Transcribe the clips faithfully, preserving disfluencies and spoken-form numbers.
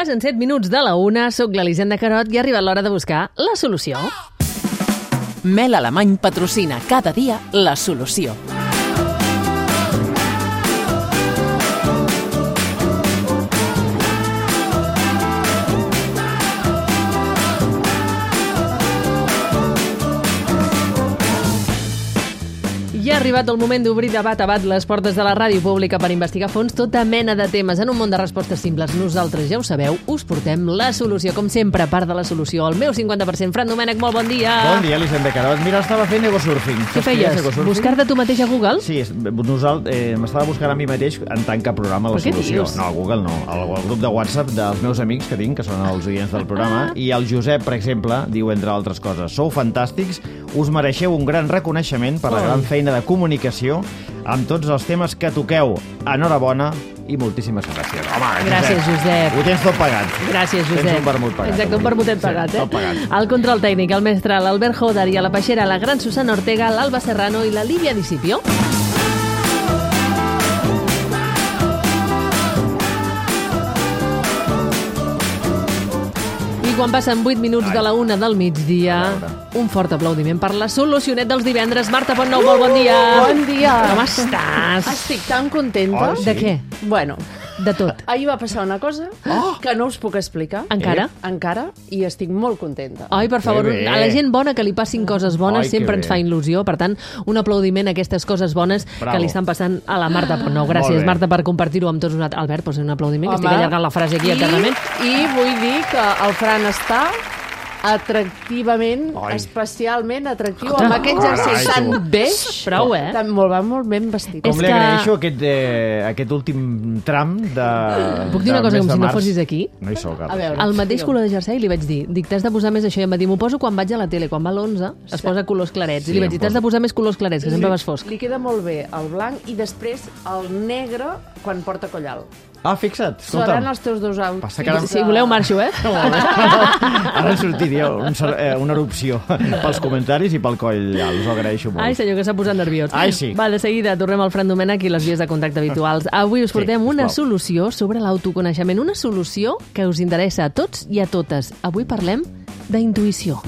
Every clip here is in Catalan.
Passen set minuts de la una, soc l'Elisenda Carot i ha arribat l'hora de buscar la solució. Mel Alemany patrocina cada dia la solució. Ja ha arribat el moment d'obrir de bat a bat les portes de la ràdio pública per investigar a fons tota mena de temes en un món de respostes simples. Nosaltres, ja ho sabeu, us portem la solució. Com sempre, part de la solució, el meu cinquanta per cent. Fran Domènech, molt bon dia. Bon dia, Elisenda Carot. Mira, estava fent egosurfing. Què feies? Buscar-te tu mateix a Google? Sí, nosaltres, eh, m'estava buscant a mi mateix en tant que programa la solució. No, a Google no. Al, al grup de WhatsApp dels meus amics que tinc, que són els oients del programa, i el Josep, per exemple, diu, entre altres coses, sou fantàstics, us mereixeu un gran reconeixement per la gran feina de comunicació amb tots els temes que toqueu. Enhorabona i moltíssimes gràcies. Home, gràcies, Josep. Ho tens tot pagat. Gràcies, Josep. Tens un vermut pagat. Exacte, un vermutet pagat, eh? Tot pagat. Al control tècnic, el mestre, l'Albert Joder, i a la peixera, la gran Susana Ortega, l'Alba Serrano i la Lídia Discipio. Quan passen vuit minuts Ai. de la una del migdia, un fort aplaudiment per la solucionet dels divendres. Marta Pontnou, molt bon dia. Bon dia. Com estàs? Estic tan contenta. Oh, sí? De què? Bueno, de tot. Ahir va passar una cosa oh. que no us puc explicar. Encara? Eh? Encara, i estic molt contenta. Ai, per favor, a la gent bona que li passin coses bones Ai, sempre ens fa il·lusió. Per tant, un aplaudiment a aquestes coses bones Bravo. que li estan passant a la Marta Pontnou. Gràcies, Marta, per compartir-ho amb tots nosaltres. Albert, posa un aplaudiment, Home. que estic allargant la frase aquí I, eternament. I vull dir que el Fran està atractivament, Ai. especialment atractiu, Escolta. amb aquest jersei tan beix. Prou, eh? Tan, molt, va molt ben vestit. Com li que... agraeixo aquest, eh, aquest últim tram de... Puc dir una cosa com si no fossis aquí? No hi soc, a veure, el mateix color de jersei li vaig dir, dic, t'has de posar més això, i em va dir, m'ho poso quan vaig a la tele, quan va a l'onze, es posa colors clarets, sí, i li vaig dir, t'has de posar més colors clarets, que sempre vas fosc. Li queda molt bé el blanc i després el negre quan porta coll alt. Ah, fixa't, escolta'm. Seran els teus dos outfits. Ara... Si voleu marxo, eh? Ara sortiria un, una erupció pels comentaris i pel coll alt, us ho agraeixo molt. Ai, senyor, que s'ha posat nerviós. Ai, sí. Va, de seguida tornem al Fran Domènech i les vies de contacte habituals. Avui us portem sí, una solució sobre l'autoconeixement, una solució que us interessa a tots i a totes. Avui parlem d'intuïció.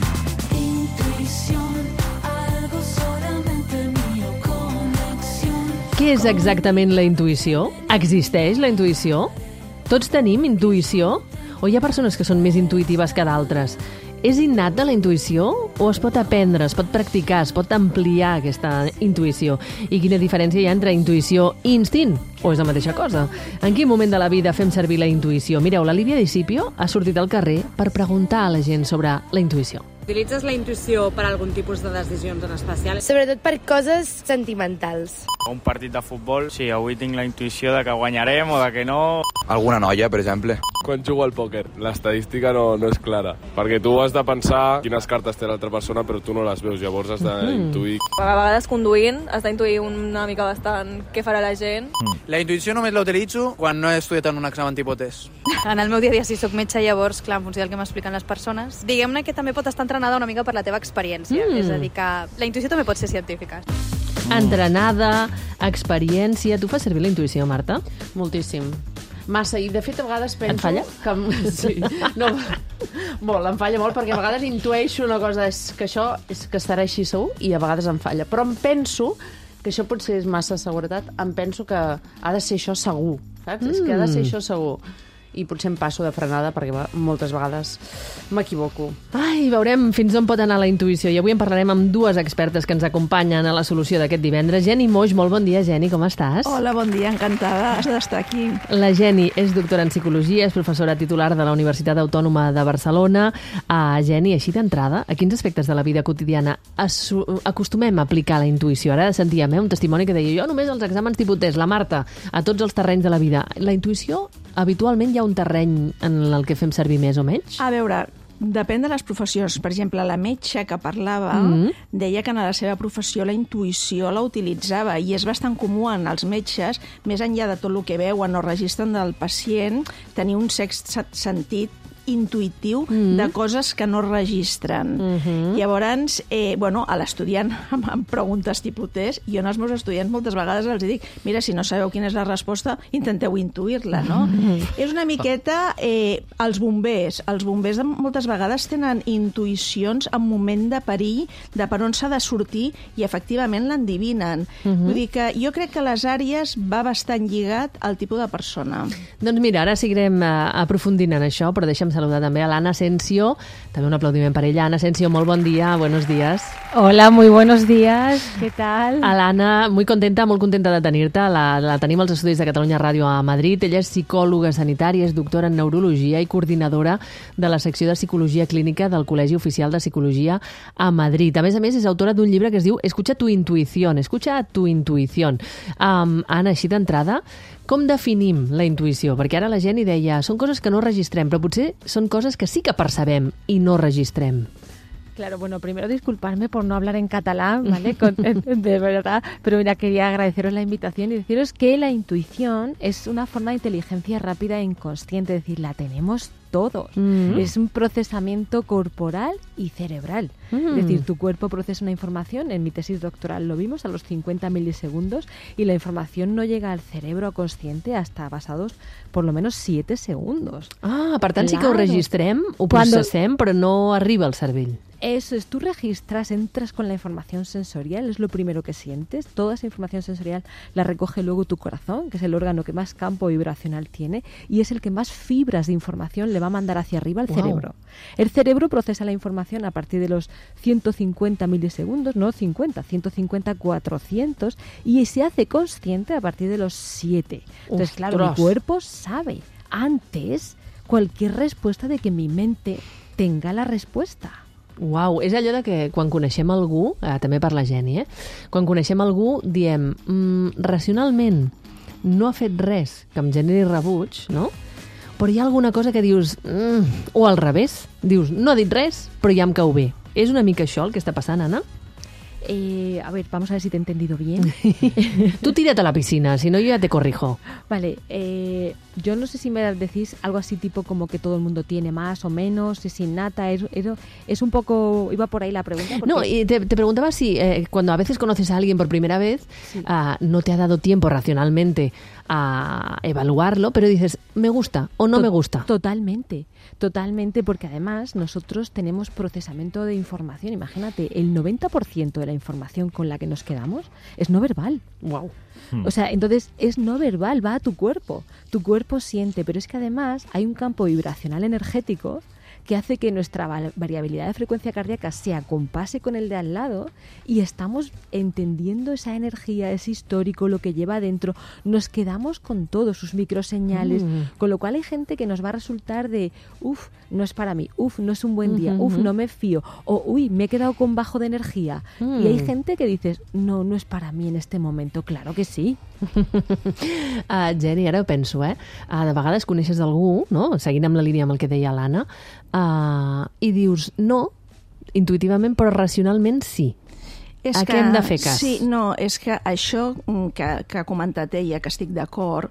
Què és exactament la intuïció? Existeix la intuïció? Tots tenim intuïció? O hi ha persones que són més intuïtives que d'altres? És innata la intuïció o es pot aprendre, es pot practicar, es pot ampliar aquesta intuïció? I quina diferència hi ha entre intuïció i instint? O és la mateixa cosa? En quin moment de la vida fem servir la intuïció? Mireu, la Lídia Discipio ha sortit al carrer per preguntar a la gent sobre la intuïció. Utilitzes la intuïció per algun tipus de decisions en especial? Sobretot per coses sentimentals. Un partit de futbol, sí, avui tinc la intuïció de que guanyarem o de que no. Alguna noia, per exemple. Quan jugo al pòquer, l'estadística no, no és clara, perquè tu has de pensar quines cartes té l'altra persona, però tu no les veus, llavors has d'intuir. Mm. A vegades conduint has d'intuir una mica bastant què farà la gent. Mm. La intuïció només la utilitzo quan no he estudiat en un examen tipus test. En el meu dia a dia, si soc metge, llavors, clar, en funció del que m'expliquen les persones, diguem-ne que també pot estar entrenada una mica per la teva experiència. Mm. És a dir, que la intuïció també pot ser científica. Mm. Entrenada, experiència... Tu fas servir la intuïció, Marta? Moltíssim. Massa, i de fet a vegades penso... Et falla? Que, sí, no, molt, em falla molt, perquè a vegades intueixo una cosa, és que això és que estarà així segur, i a vegades em falla. Però em penso que això potser és massa seguretat, em penso que ha de ser això segur, saps? Mm. És que ha de ser això segur. I potser em passo de frenada perquè moltes vegades m'equivoco. Ai, veurem fins on pot anar la intuïció. I avui en parlarem amb dues expertes que ens acompanyen a la solució d'aquest divendres. Geni Moix, molt bon dia, Geni, com estàs? Hola, bon dia, encantada d'estar aquí. La Geni és doctora en psicologia, és professora titular de la Universitat Autònoma de Barcelona. Uh, Geni, així d'entrada, a quins aspectes de la vida quotidiana acostumem a aplicar la intuïció? Ara sentíem eh, un testimoni que deia jo només als exàmens tipus test, la Marta, a tots els terrenys de la vida. La intuïció, habitualment hi ha un terreny en el que fem servir més o menys? A veure, depèn de les professions. Per exemple, la metge que parlava mm-hmm. deia que en la seva professió la intuïció la utilitzava i és bastant comú en els metges, més enllà de tot el que veuen o registren del pacient, tenir un sext sentit intuïtiu mm. de coses que no registren. Mm-hmm. Llavors, eh, bueno, a l'estudiant em preguntes tipus test, jo als meus estudiants moltes vegades els dic, mira, si no sabeu quina és la resposta, intenteu intuir-la, no? Mm-hmm. És una miqueta eh, els bombers. Els bombers moltes vegades tenen intuïcions en moment de perill, de per on s'ha de sortir, i efectivament l'endivinen. Mm-hmm. Vull dir que jo crec que les àrees va bastant lligat al tipus de persona. Doncs mira, ara seguirem uh, aprofundint en això, però deixa'm saludar també a l'Anna Asensio. També un aplaudiment per ella. Ana Asensio, molt bon dia, buenos días. Hola, muy buenos días, ¿qué tal? A l'Anna, muy contenta, molt contenta de tenir-te. La, la tenim als estudis de Catalunya Ràdio a Madrid. Ella és psicòloga sanitària, és doctora en neurologia i coordinadora de la secció de psicologia clínica del Col·legi Oficial de Psicologia a Madrid. A més a més, és autora d'un llibre que es diu Escucha tu intuición, escucha tu intuición. Um, Anna, així d'entrada, com definim la intuïció? Perquè ara la gent hi deia, són coses que no registrem, però potser són coses que sí que percebem i no registrem. Claro, bueno, primero disculparme por no hablar en catalán, ¿vale? Con, de verdad, pero mira, quería agradeceros la invitación y deciros que la intuición es una forma de inteligencia rápida e inconsciente, es decir, la tenemos todos. Mm. Es un procesamiento corporal y cerebral. Mm. Es decir, tu cuerpo procesa una información, en mi tesis doctoral lo vimos, a los cincuenta milisegundos, y la información no llega al cerebro consciente hasta pasados por lo menos siete segundos. Ah, per tant, claro. Sí que ho registrem, ho processem, però no arriba al cervell. Eso es, tú registras, entras con la información sensorial, es lo primero que sientes. Toda esa información sensorial la recoge luego tu corazón, que es el órgano que más campo vibracional tiene, y es el que más fibras de información le va a mandar hacia arriba al wow. cerebro. El cerebro procesa la información a partir de los ciento cincuenta milisegundos, no cincuenta, ciento cincuenta, cuatrocientos, y se hace consciente a partir de los siete. Entonces, Uf, claro, mi cuerpo sabe antes cualquier respuesta de que mi mente tenga la respuesta. Uau, és allò de que quan coneixem algú, eh, també per la Geni, eh? Quan coneixem algú diem, mm, racionalment no ha fet res que em generi rebuig, no? Però hi ha alguna cosa que dius, mm, o al revés, dius, no ha dit res, però ja em cau bé. És una mica això el que està passant, Anna? Eh, a ver, vamos a ver si te he entendido bien. Tú tírate a la piscina, si no yo ya te corrijo. Vale, eh, yo no sé si me decís algo así tipo como que todo el mundo tiene más o menos, es innata, es, es, es un poco... Iba por ahí la pregunta. Porque... No, y te, te preguntaba si eh, cuando a veces conoces a alguien por primera vez, sí. uh, no te ha dado tiempo racionalmente a evaluarlo, pero dices, me gusta o no to- me gusta. Totalmente, totalmente, porque además nosotros tenemos procesamiento de información. Imagínate, el noventa por ciento de la información con la que nos quedamos es no verbal. Wow. O sea, entonces es no verbal, va a tu cuerpo. Tu cuerpo siente, pero es que además hay un campo vibracional energético que hace que nuestra variabilidad de frecuencia cardíaca se acompase con el de al lado y estamos entendiendo esa energía, ese histórico, lo que lleva adentro. Nos quedamos con todo, sus microseñales, mm. con lo cual hay gente que nos va a resultar de, uff, no es para mí, uff, no es un buen día, uff, no me fío, o uy, me he quedado con bajo de energía. Mm. Y hay gente que dices, no, no es para mí en este momento. Claro que sí. uh, Geni, ara ho penso, eh? Uh, de vegades coneixes algú, no? Seguint amb la línia amb el que deia l'Anna, uh, i dius no, intuïtivament, però racionalment sí. És a que, què hem de fer cas? Sí, no, és que això que, que ha comentat ella, que estic d'acord,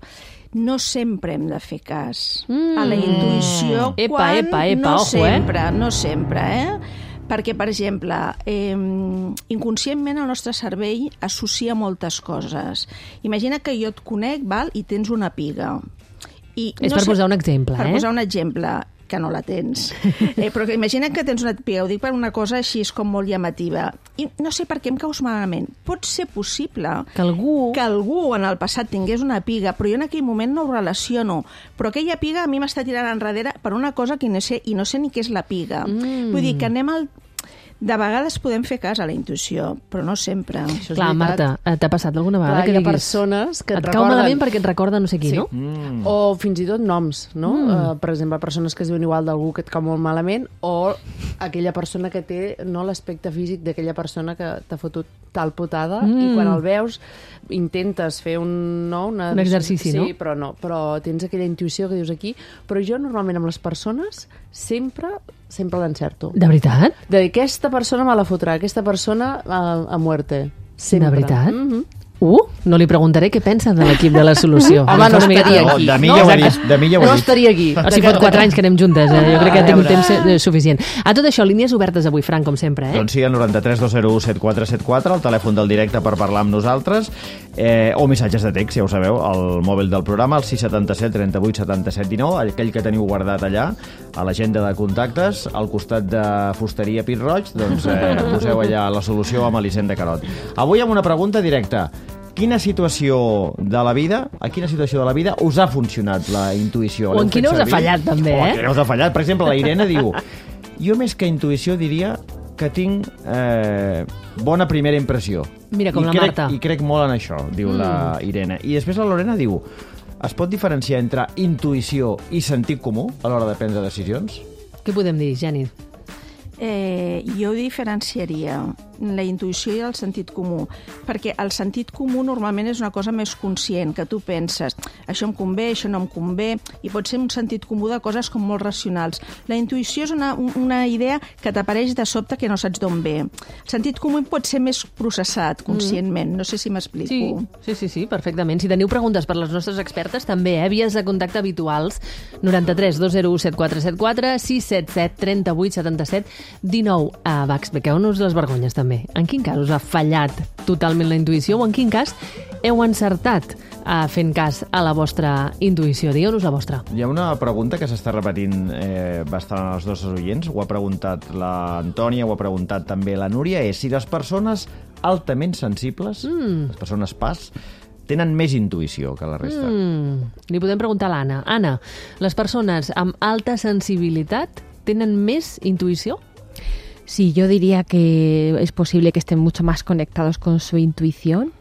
no sempre hem de fer cas mm. a la intuïció epa, quan epa, epa, no ojo, sempre, eh? no sempre, eh? Perquè, per exemple, eh, inconscientment el nostre cervell associa moltes coses. Imagina que jo et conec, val, i tens una piga. I És no per sé, posar un exemple, per eh? Per posar un exemple, que no la tens. Eh, però que imagina que tens una piga, ho dic per una cosa així com molt llamativa. I no sé per què em caus malament. Pot ser possible que algú... que algú en el passat tingués una piga, però jo en aquell moment no ho relaciono. Però aquella piga a mi m'està tirant enrere per una cosa que no sé, i no sé ni què és la piga. Mm. Vull dir que anem al... De vegades podem fer cas a la intuïció, però no sempre. Això Clar, Marta, t'ha passat alguna vegada Clar, que hi ha diguis... persones que et, et recorden... cau malament perquè et recorda no sé qui, sí. no? Mm. O fins i tot noms, no? Mm. Uh, per exemple, persones que es diuen igual d'algú que et cau molt malament, o aquella persona que té no l'aspecte físic d'aquella persona que t'ha fotut tal putada, mm. i quan el veus intentes fer un, no, una... un exercici, sí, no? Sí, però no. Però tens aquella intuïció que dius aquí. Però jo normalment amb les persones sempre sempre l'encerto. De veritat? De dir, aquesta persona me la fotrà, aquesta persona a, a muerte. Sempre. De veritat? Mm-hmm. Uh, no li preguntaré què pensa de l'equip de La Solució. Home, no estaria aquí. De mi ja ho he dit. De mi ja ho he No dit. estaria aquí. O sigui, fot quatre anys que anem juntes, eh? Jo crec que A tinc un veure. temps eh, suficient. A tot això, línies obertes avui, Frank, com sempre, eh? Doncs sí, al noranta-tres dos zero u set quatre set quatre, el telèfon del directe per parlar amb nosaltres, eh, o missatges de text, ja ho sabeu, al mòbil del programa, el sis setanta set trenta vuit setanta set dinou, aquell que teniu guardat allà, a l'agenda de contactes, al costat de Fusteria Pit Roig, doncs eh, poseu allà La Solució amb Elisenda Carot. Avui amb una pregunta directa. Quina situació de la vida, a quina situació de la vida us ha funcionat la intuïció? O en L'heu quina fet us ha servir? fallat, també, O en eh? quina us ha fallat. Per exemple, la Irene diu: jo més que intuïció diria que tinc eh, bona primera impressió. Mira, com I la crec, Marta. I crec molt en això, diu mm. la Irene. I després la Lorena diu: es pot diferenciar entre intuïció i sentit comú a l'hora de prendre decisions? Què podem dir, Geni? Eh, jo diferenciaria la intuïció i el sentit comú, perquè el sentit comú normalment és una cosa més conscient, que tu penses, això em convé, això no em convé, i pot ser un sentit comú de coses com molt racionals. La intuïció és una, una idea que t'apareix de sobte que no saps d'on ve. El sentit comú pot ser més processat conscientment, no sé si m'explico. Sí, sí, sí, sí, perfectament. Si teniu preguntes per les nostres expertes, també, eh? Vies de contacte habituals, noranta-tres dos zero u set quatre set quatre, sis set set trenta vuit setanta set dinou. Uh, va, expliqueu-nos les vergonyes, també. En quin cas us ha fallat totalment la intuïció o en quin cas heu encertat uh, fent cas a la vostra intuïció? Digueu-nos la vostra. Hi ha una pregunta que s'està repetint eh, bastant als nostres oients, ho ha preguntat l'Antònia, ho ha preguntat també la Núria, és si les persones altament sensibles, mm. les persones pas, tenen més intuïció que la resta. Mm. Li podem preguntar a l'Anna. Anna, les persones amb alta sensibilitat tenen més intuïció? Sí, yo diría que es posible que estén mucho más conectados con su intuición,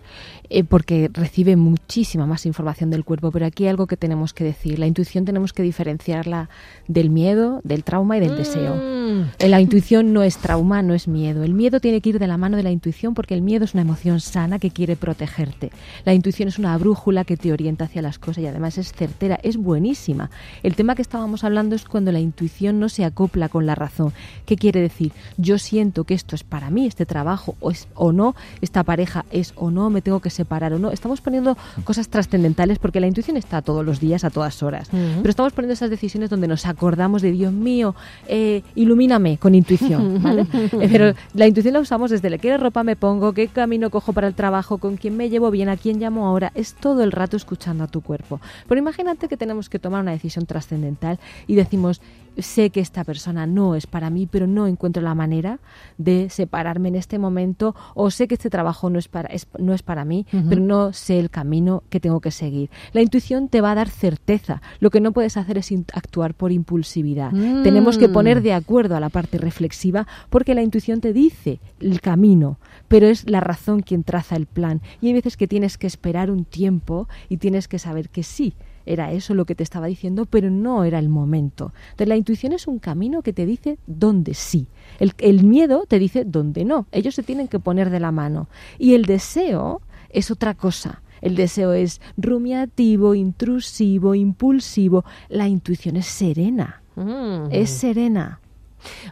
eh, porque recibe muchísima más información del cuerpo, pero aquí hay algo que tenemos que decir. La intuición tenemos que diferenciarla del miedo, del trauma y del mm. deseo. La intuición no es trauma, no es miedo. El miedo tiene que ir de la mano de la intuición porque el miedo es una emoción sana que quiere protegerte. La intuición es una brújula que te orienta hacia las cosas y además es certera, es buenísima. El tema que estábamos hablando es cuando la intuición no se acopla con la razón. ¿Qué quiere decir? Yo siento que esto es para mí, este trabajo o, es, o no, esta pareja es o no, me tengo que separar o no. Estamos poniendo cosas trascendentales porque la intuición está todos los días, a todas horas. Uh-huh. Pero estamos poniendo esas decisiones donde nos acordamos de Dios mío, eh, ilumíname con intuición, ¿vale? eh, pero la intuición la usamos desde qué ropa me pongo, qué camino cojo para el trabajo, con quién me llevo bien, a quién llamo ahora. Es todo el rato escuchando a tu cuerpo. Pero imagínate que tenemos que tomar una decisión trascendental y decimos, sé que esta persona no es para mí, pero no encuentro la manera de separarme en este momento, o sé que este trabajo no es para, es, no es para mí, uh-huh. pero no sé el camino que tengo que seguir. La intuición te va a dar certeza. Lo que no puedes hacer es actuar por impulsividad. Mm. Tenemos que poner de acuerdo a la parte reflexiva porque la intuición te dice el camino, pero es la razón quien traza el plan. Y hay veces que tienes que esperar un tiempo y tienes que saber que sí, era eso lo que te estaba diciendo, pero no era el momento. Entonces la intuición es un camino que te dice dónde sí. El, el miedo te dice dónde no. Ellos se tienen que poner de la mano. Y el deseo es otra cosa. El deseo es rumiativo, intrusivo, impulsivo. La intuición es serena. Mm. És serena.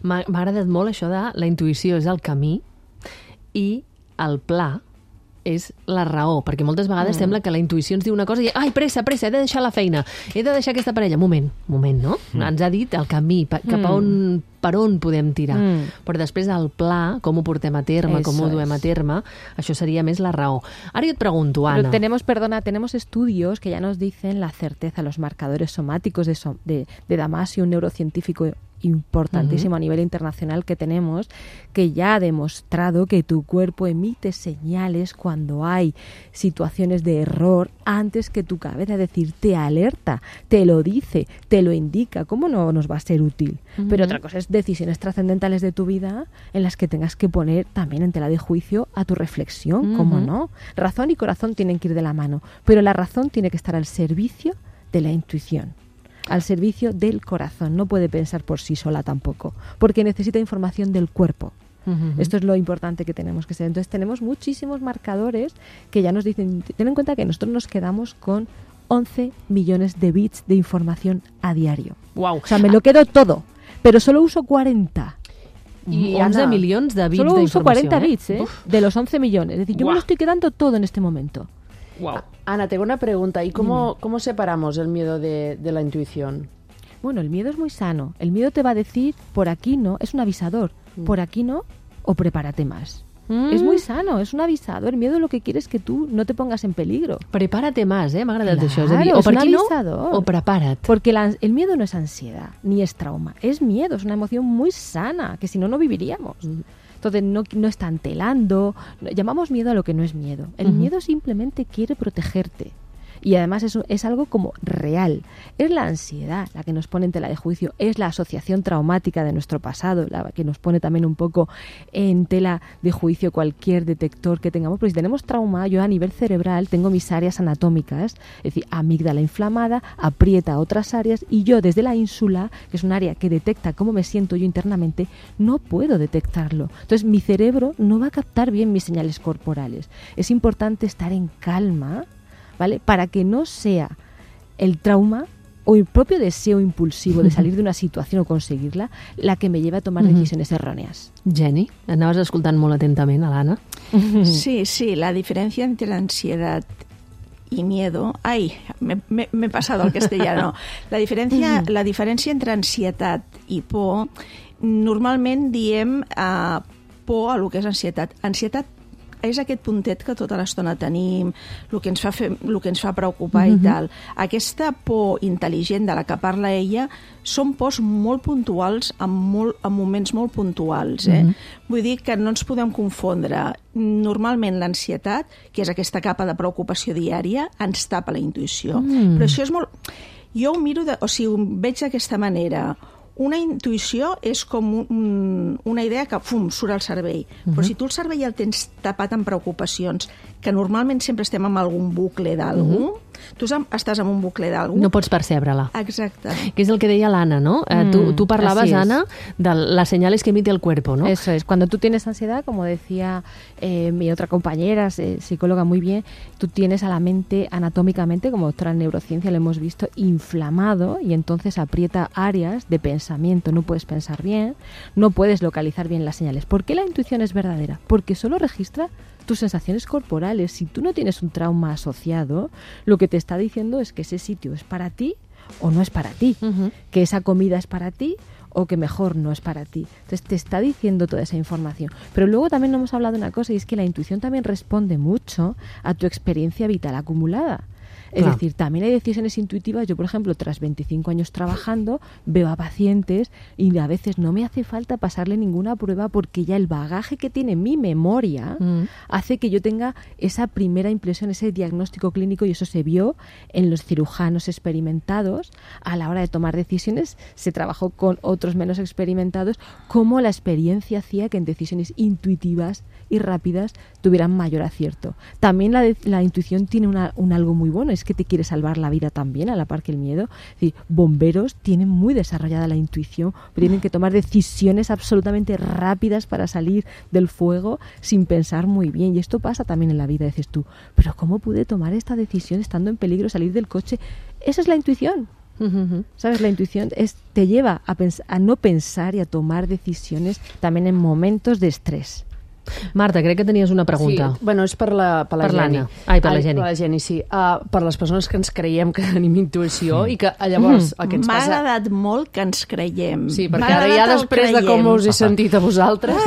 M'ha agradat molt això de la intuïció és el camí i el pla és la raó, perquè moltes vegades mm. sembla que la intuïció ens diu una cosa i, ai, pressa, pressa, he de deixar la feina, he de deixar aquesta parella. Moment, moment, no? Mm. Ens ha dit el camí, cap a on, per on podem tirar. Mm. Però després el pla, com ho portem a terme, Eso com ho duem a terme, això seria més la raó. Ara jo et pregunto, Ana. Pero tenemos, perdona, tenemos estudios que ya nos dicen la certeza, los marcadores somáticos de, de, de Damasio, un neurocientífico importantísimo uh-huh. a nivel internacional que tenemos, que ya ha demostrado que tu cuerpo emite señales cuando hay situaciones de error antes que tu cabeza, es decir, te alerta, te lo dice, te lo indica. ¿Cómo no nos va a ser útil? Uh-huh. Pero otra cosa es decisiones trascendentales de tu vida en las que tengas que poner también en tela de juicio a tu reflexión, uh-huh. ¿cómo no? Razón y corazón tienen que ir de la mano, pero la razón tiene que estar al servicio de la intuición, al servicio del corazón. No puede pensar por sí sola tampoco, porque necesita información del cuerpo. Uh-huh. Esto es lo importante que tenemos que ser. Entonces tenemos muchísimos marcadores que ya nos dicen, ten en cuenta que nosotros nos quedamos con once millones de bits de información a diario. Wow. O sea, me lo quedo todo, pero solo uso cuarenta. I, onze Ana, milions de bits Solo d'informació. uso cuarenta eh? bits, ¿eh? Uf. De los once millones. Es decir, yo Guau. me lo estoy quedando todo en este momento. Wow. Ana, tengo una pregunta. ¿Y cómo, cómo separamos el miedo de, de la intuición? Bueno, el miedo es muy sano. El miedo te va a decir, por aquí no, es un avisador. Mm. Por aquí no, o prepárate más. Mm. Es muy sano, es un avisador. El miedo lo que quiere es que tú no te pongas en peligro. Prepárate más, eh? M'ha agradat Claro, això. És a dir, o es per un aquí no, avisador. o prepara't. Porque la- el miedo no es ansiedad, ni es trauma. Es miedo, es una emoción muy sana, que si no, no viviríamos. Entonces, no, no están telando. Llamamos miedo a lo que no es miedo. El Ujú. miedo simplemente quiere protegerte. Y además es, es algo como real. Es la ansiedad la que nos pone en tela de juicio, es la asociación traumática de nuestro pasado la que nos pone también un poco en tela de juicio cualquier detector que tengamos. Porque si tenemos trauma, yo a nivel cerebral tengo mis áreas anatómicas, es decir, amígdala inflamada, aprieta otras áreas y yo desde la ínsula, que es un área que detecta cómo me siento yo internamente, no puedo detectarlo. Entonces mi cerebro no va a captar bien mis señales corporales. Es importante estar en calma, ¿vale? Para que no sea el trauma o el propio deseo impulsivo de salir de una situación o conseguirla la que me lleve a tomar Ujú. decisiones erróneas. Jenny, anaves escoltant molt atentament a l'Anna. Sí, sí, la diferencia entre ansiedad y miedo... Ay, me, me, me he pasado al castellano. La diferència, la diferència entre ansietat i por, normalment diem uh, por a lo que és ansietat. Ansietat és aquest puntet que tota l'estona tenim, el que ens fa, fer, el que ens fa preocupar Mhm. i tal. Aquesta por intel·ligent de la que parla ella són pors molt puntuals en, molt, en moments molt puntuals. Eh? Mhm. Vull dir que no ens podem confondre. Normalment l'ansietat, que és aquesta capa de preocupació diària, ens tapa la intuïció. Mm. Però això és molt... Jo ho miro, de, o sigui, ho veig d'aquesta manera. Una intuïció és com un, una idea que, fum, surt al cervell. Uh-huh. Però si tu el cervell el tens tapat amb preocupacions, que normalment sempre estem amb algun bucle d'algú, uh-huh. tu estàs en un bucle d'algú... No pots percebre-la. Exacte. Que és el que deia l'Anna, ¿no? Eh, Mm, tú, tú parlabas, así es. Ana, de las señales que emite el cuerpo, ¿no? Eso es. Cuando tú tienes ansiedad, como decía eh, mi otra compañera, eh, psicóloga muy bien, tú tienes a la mente anatómicamente, como doctora en neurociencia lo hemos visto, inflamado y entonces aprieta áreas de pensamiento. No puedes pensar bien, no puedes localizar bien las señales. ¿Por qué la intuición es verdadera? Porque solo registra tus sensaciones corporales. Si tú no tienes un trauma asociado, lo que te está diciendo es que ese sitio es para ti o no es para ti, uh-huh. que esa comida es para ti o que mejor no es para ti. Entonces te está diciendo toda esa información. Pero luego también no hemos hablado de una cosa, y es que la intuición también responde mucho a tu experiencia vital acumulada. Es Claro. decir, también hay decisiones intuitivas. Yo, por ejemplo, tras veinticinco años trabajando, veo a pacientes y a veces no me hace falta pasarle ninguna prueba porque ya el bagaje que tiene mi memoria Mm. hace que yo tenga esa primera impresión, ese diagnóstico clínico, y eso se vio en los cirujanos experimentados. A la hora de tomar decisiones se trabajó con otros menos experimentados, cómo la experiencia hacía que en decisiones intuitivas y rápidas tuvieran mayor acierto. También la, de- la intuición tiene una, un algo muy bueno, es que te quiere salvar la vida también, a la par que el miedo. Es decir, bomberos tienen muy desarrollada la intuición, tienen que tomar decisiones absolutamente rápidas para salir del fuego sin pensar muy bien. Y esto pasa también en la vida, dices tú, pero ¿cómo pude tomar esta decisión estando en peligro, salir del coche? Esa es la intuición. Uh-huh. ¿Sabes? La intuición es, te lleva a, pens- a no pensar y a tomar decisiones también en momentos de estrés. Marta, crec que tenies una pregunta. Sí, bueno, és per la, per la Per Jenny. l'Anna. Ai, per la Ai, Jenny. Per la Jenny, sí. Uh, per les persones que ens creiem que tenim intuïció mm. i que llavors el que ens M'ha passa... agradat molt que ens creiem. Sí, M'ha perquè ara agradat ja el després de creiem. com us he sentit a vosaltres...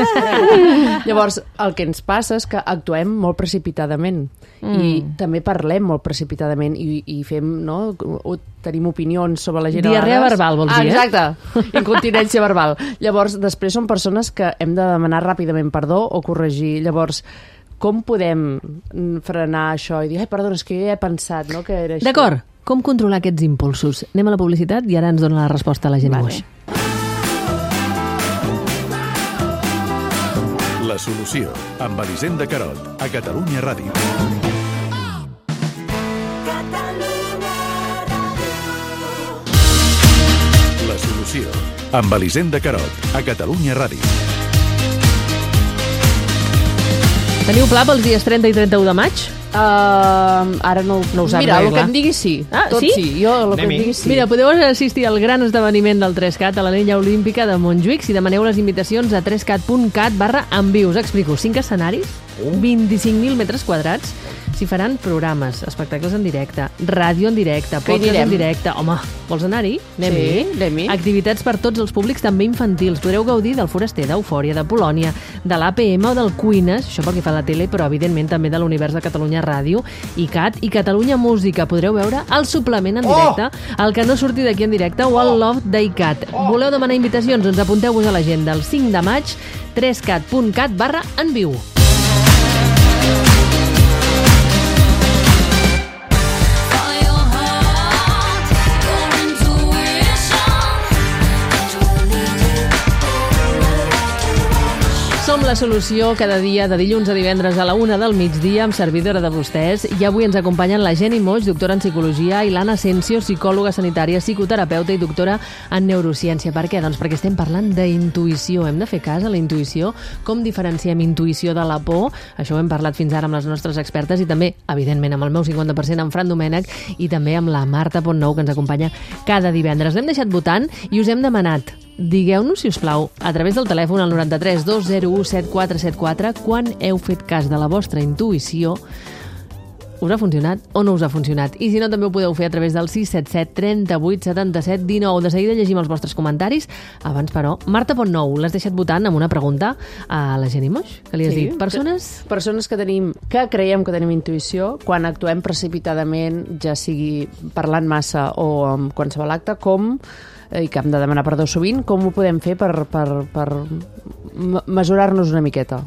Llavors, el que ens passa és que actuem molt precipitadament mm. i també parlem molt precipitadament i, i fem, no? O tenim opinions sobre la gent a Diarrea vegades. verbal, vols ah, dir, eh? Exacte, incontinència verbal. Llavors, després són persones que hem de demanar ràpidament perdó o corregir. Llavors, com podem frenar això i dir, ai, perdona, és que jo ja he pensat, no?, que era això. D'acord, com controlar aquests impulsos? Anem a la publicitat i ara ens dona la resposta a la Jenny Moix. La solució, amb Elisenda Carot, a Catalunya Ràdio. La solució, amb Elisenda Carot, a Catalunya Ràdio. Teniu pla pels dies trenta i trenta-u de maig? Uh, ara no, no ho saps Mira, bé, el que em digui sí. Ah, Tot sí? sí. Jo, el que em digui sí. Mira, podeu assistir al gran esdeveniment del tres cat a l'Anella Olímpica de Montjuïc si demaneu les invitacions a tres cat punt cat barra en viu. Us explico. cinc escenaris, vint-i-cinc mil metres quadrats. S'hi faran programes, espectacles en directe, ràdio en directe, podcast en directe. Home, vols anar-hi? Anem-hi. Sí, anem-hi. Activitats per tots els públics, també infantils. Podreu gaudir del Foraster, d'Eufòria, de Polònia, de l'A P M o del Cuines, això pel que fa a la tele, però evidentment també de l'univers de Catalunya Ràdio, I C A T i Catalunya Música. Podreu veure el suplement en directe, oh! el que no surti d'aquí en directe o el Love d'I C A T. Oh! Voleu demanar invitacions? Doncs apunteu-vos a l'agenda el cinc de maig, tres cat punt cat barra en viu. Som la solució cada dia de dilluns a divendres a la una del migdia amb servidora de vostès. I avui ens acompanyen la Jenny Moix, doctora en psicologia, i l'Anna Asensio, psicòloga sanitària, psicoterapeuta i doctora en neurociència. Per què? Doncs perquè estem parlant d'intuïció. Hem de fer cas a la intuïció. Com diferenciem intuïció de la por? Això ho hem parlat fins ara amb les nostres expertes i també, evidentment, amb el meu cinquanta per cent amb Fran Domènech i també amb la Marta Pontnou, que ens acompanya cada divendres. L'hem deixat votant i us hem demanat: digueu-nos, si us plau, a través del telèfon al noranta-tres dos zero u set quatre set quatre quan heu fet cas de la vostra intuïció. Us ha funcionat o no us ha funcionat? I si no, també ho podeu fer a través del sis set set, trenta-vuit, setanta-set, dinou. De seguida llegim els vostres comentaris. Abans, però, Marta Pontnou, l'has deixat votant amb una pregunta a la Jenny Moix, que li has Sí, dit. Persones... Persones que tenim, que creiem que tenim intuïció, quan actuem precipitadament, ja sigui parlant massa o amb qualsevol acte, com i que hem de demanar perdó sovint, com ho podem fer per, per, per mesurar-nos una miqueta?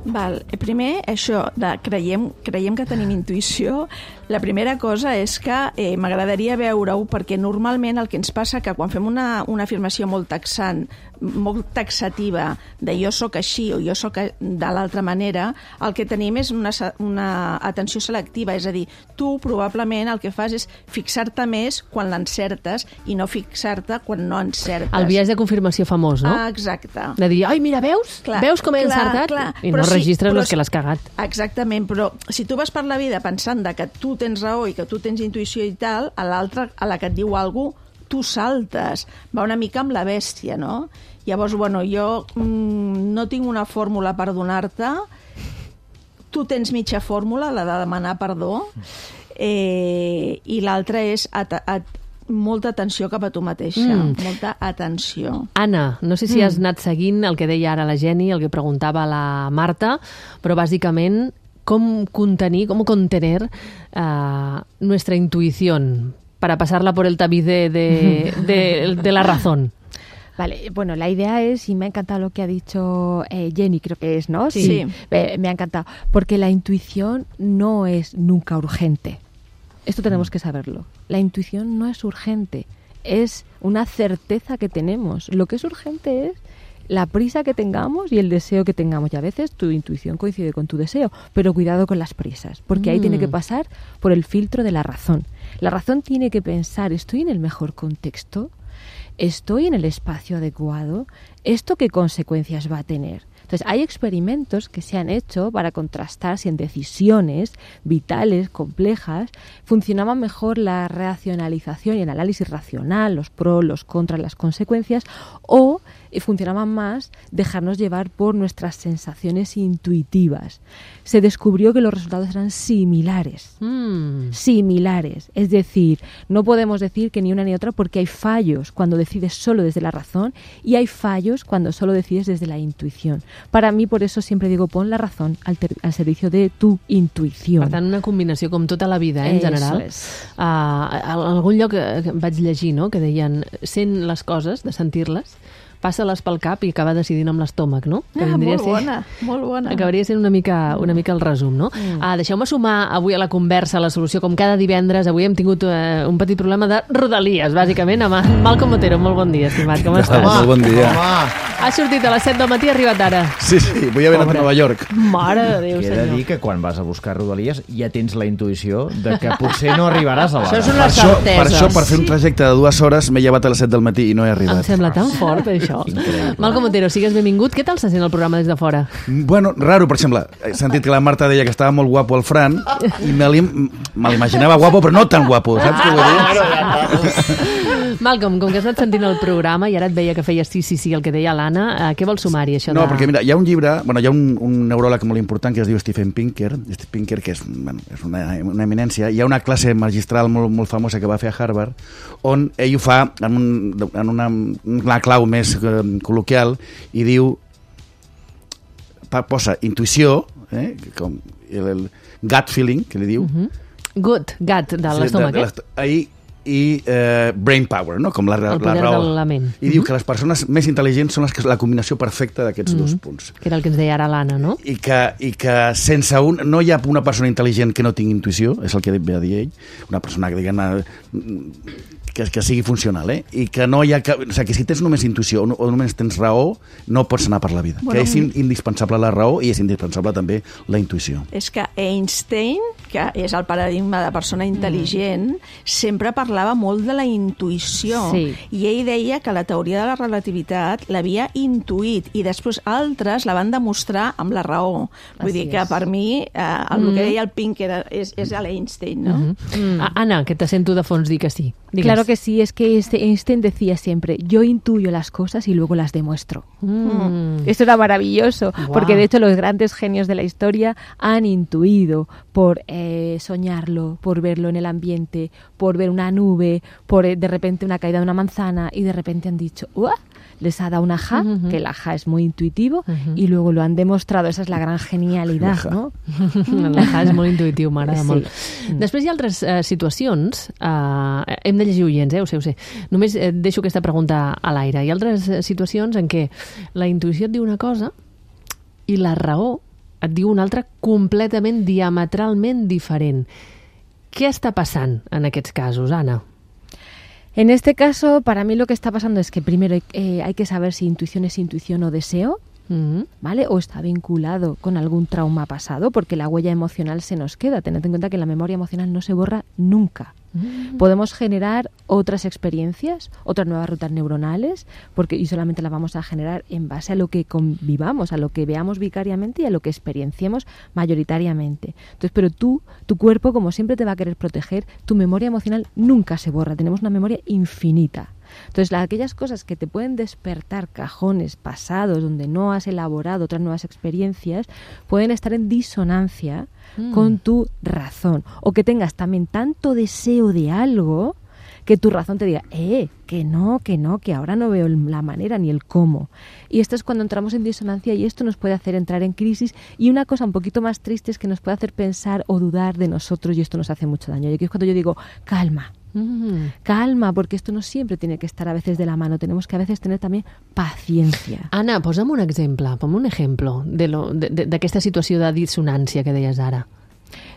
Val. Primer, això de creiem, creiem que tenim intuïció, la primera cosa és que eh, m'agradaria veure-ho, perquè normalment el que ens passa que quan fem una, una afirmació molt taxant, molt taxativa de jo sóc així o jo sóc de l'altra manera, el que tenim és una, una atenció selectiva, és a dir, tu probablement el que fas és fixar-te més quan l'encertes i no fixar-te quan no encertes. El biaix de confirmació famós, no? Ah, exacte. De dir, ai, mira, veus? Clar, veus com he clar, encertat? Clar. I però no registres sí, les que l'has cagat. Exactament, però si tu vas per la vida pensant de que tu tens raó i que tu tens intuïció i tal, a l'altra, a la que et diu alguna cosa, tu saltes. Va una mica amb la bèstia, no? Llavors, bueno, jo mmm, no tinc una fórmula per donar-te. Tu tens mitja fórmula, la de demanar perdó, eh, i l'altra és at at molta atenció cap a tu mateixa, mm. molta atenció. Anna, no sé si mm. has anat seguint el que deia ara la Jenny, el que preguntava la Marta, però bàsicament com contenir, com contener uh, nuestra intuición para pasarla por el tabiz de, de, de, de la razón. Vale, bueno, la idea es, y me ha encantado lo que ha dicho eh, Jenny, creo que es, ¿no? Sí. sí. Eh, me ha encantado, porque la intuición no es nunca urgente. Esto tenemos que saberlo. La intuición no es urgente, es una certeza que tenemos. Lo que es urgente es la prisa que tengamos y el deseo que tengamos. Y a veces tu intuición coincide con tu deseo, pero cuidado con las prisas, porque mm. ahí tiene que pasar por el filtro de la razón. La razón tiene que pensar, ¿estoy en el mejor contexto? ¿Estoy en el espacio adecuado? ¿Esto qué consecuencias va a tener? Entonces, hay experimentos que se han hecho para contrastar si en decisiones vitales, complejas, funcionaba mejor la racionalización y el análisis racional, los pros, los contras, las consecuencias, o funcionaba más dejarnos llevar por nuestras sensaciones intuitivas. Se descubrió que los resultados eran similares. Mm. Similares. Es decir, no podemos decir que ni una ni otra porque hay fallos cuando decides solo desde la razón y hay fallos cuando solo decides desde la intuición. Para mí, por eso siempre digo, pon la razón al, al servicio de tu intuïció. Per tant, una combinació com tota la vida, eh, en general. Uh, a algun lloc que vaig llegir, no?, que deien, sent les coses, de sentir-les, passa-les pel cap i acaba decidint amb l'estómac, no? Que ah, molt ser, bona, molt bona. Acabaria sent una mica, una mica el resum, no? Mm. Ah, deixeu-me sumar avui a la conversa, a la solució, com cada divendres. Avui hem tingut eh, un petit problema de rodalies, bàsicament, amb Malcom Otero. Molt bon dia, estimat, com estàs? Home, molt bon dia. Home. Ha sortit a les set del matí i ha arribat ara. Sí, sí, vull haver anat a Nova York. Mare de Déu, senyor. He de dir que quan vas a buscar rodalies ja tens la intuïció de que potser no arribaràs a l'hora. Això és una per certesa. Això, per això, per fer un trajecte de dues hores, m'he llevat a les set del matí i no he arribat. Em sembla tan fort, això. això. Malcom Otero, sigues benvingut. Què tal se sent el programa des de fora? Bueno, raro, per exemple, he sentit que la Marta deia que estava molt guapo el Fran i me l'imaginava guapo, però no tan guapo, saps què vull dir? Malcom, com que has anat sentint el programa i ara et veia que feies sí, sí, sí, el que deia l'Anna, eh, què vols sumar-hi, això? No, de... perquè mira, hi ha un llibre, bueno, hi ha un, un neuròleg molt important que es diu Steven Pinker, Steve Pinker, que és, bueno, és una, una eminència. Hi ha una classe magistral molt, molt famosa que va fer a Harvard, on ell ho fa en, un, en una, una clau més eh, col·loquial i diu, posa intuïció, eh, com el, el gut feeling, que li diu. Uh-huh. Gut, gut, de l'estómac, sí, eh? Ahí, i eh, brain power, no? Com la, el poder la raó. de la ment. I uh-huh. diu que les persones més intel·ligents són les que, la combinació perfecta d'aquests uh-huh. dos punts. Que era el que ens deia ara l'Anna, no? I que, i que sense un... No hi ha una persona intel·ligent que no tingui intuïció, és el que ve a dir ell, una persona que, diguem, que, que sigui funcional, eh? I que no hi ha... Que, o sigui, que si tens només intuïció o, o només tens raó, no pots anar per la vida. Bueno, que és indispensable la raó i és indispensable també la intuïció. És que Einstein, que és el paradigma de persona intel·ligent, mm. sempre parlava molt de la intuïció. Sí. I ell deia que la teoria de la relativitat l'havia intuït i després altres la van demostrar amb la raó. Vull Así dir que és. Per mi eh, el mm. que deia el Pinker és, és l'Einstein, ¿no? Mm-hmm. Mm. Ah, Anna, que te sento de fons dir que sí. Digues. Claro que sí, es que Einstein decía siempre, yo intuyo las cosas y luego las demuestro. Mm. Esto era maravilloso, wow. porque de hecho los grandes genios de la historia han intuido por eh, soñarlo, por verlo en el ambiente, por ver una nube, por eh, de repente una caída de una manzana y de repente han dicho, ¡uah! Les ha dado un ajá, uh-huh. que el ajá es muy intuitivo, uh-huh. y luego lo han demostrado. Esa és la gran genialitat, no? L'ajá és molt intuitiu, m'agrada sí. molt. Mm. Després hi ha altres uh, situacions, uh, hem de llegir oients, eh? Ho sé, ho sé. Només eh, deixo aquesta pregunta a l'aire. Hi ha altres uh, situacions en què la intuïció et diu una cosa i la raó et diu una altra completament, diametralment diferent. Què està passant en aquests casos, Anna? En este caso, para mí lo que está pasando es que primero eh, hay que saber si intuición es intuición o deseo, uh-huh. ¿vale? O está vinculado con algún trauma pasado, porque la huella emocional se nos queda. Tened en cuenta que la memoria emocional no se borra nunca. Uh-huh. Podemos generar otras experiencias, otras nuevas rutas neuronales, porque y solamente las vamos a generar en base a lo que convivamos, a lo que veamos vicariamente y a lo que experienciemos mayoritariamente. Entonces, pero tú, tu cuerpo, como siempre te va a querer proteger, tu memoria emocional nunca se borra. Tenemos una memoria infinita. Entonces, la, aquellas cosas que te pueden despertar cajones pasados donde no has elaborado otras nuevas experiencias pueden estar en disonancia mm. con tu razón. O que tengas también tanto deseo de algo que tu razón te diga, eh, que no, que no, que ahora no veo la manera ni el cómo. Y esto es cuando entramos en disonancia y esto nos puede hacer entrar en crisis. Y una cosa un poquito más triste es que nos puede hacer pensar o dudar de nosotros y esto nos hace mucho daño. Y aquí es cuando yo digo, calma. Mm. Calma, porque esto no siempre tiene que estar a veces de la mano. Tenemos que a veces tener también paciencia. Anna, posa'm un exemple, pon un ejemplo de lo, de, de, d'aquesta situació de dissonància que deies ara.